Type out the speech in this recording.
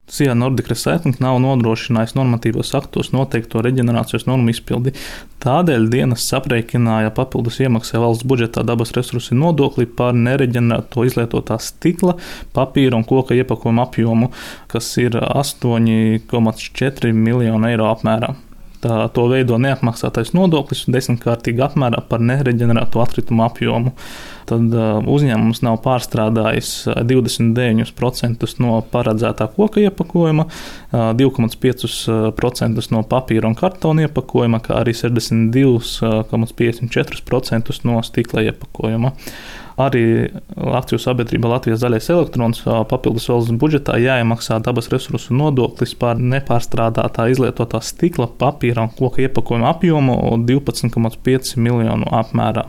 SIA Nordic Recycling nav nodrošinājis normatīvos aktos noteikto reģenerācijas normu izpildi. Tādēļ dienests aprēķināja papildus iemaksai valsts budžetā dabas resursu nodokli par nereģenerēto izlietotā stikla, papīra un koka iepakojuma apjomu, kas ir 8,4 miljonu eiro apmērā. To veido neapmaksātais nodoklis 10-kārtīgi apmērā par nereģenerēto atkritumu apjomu. Tad uzņēmums nav pārstrādājis 29% no paredzētā koka iepakojuma, 2,5% no papīra un kartona iepakojuma, kā arī 62,54% no stikla iepakojuma. Arī akciju sabiedrība Latvijas Zaļais elektrons papildus valsts budžetā jāiemaksā dabas resursu nodoklis par nepārstrādātā izlietotā stikla, papīra un koka iepakojuma apjomu 12,5 miljonu apmērā.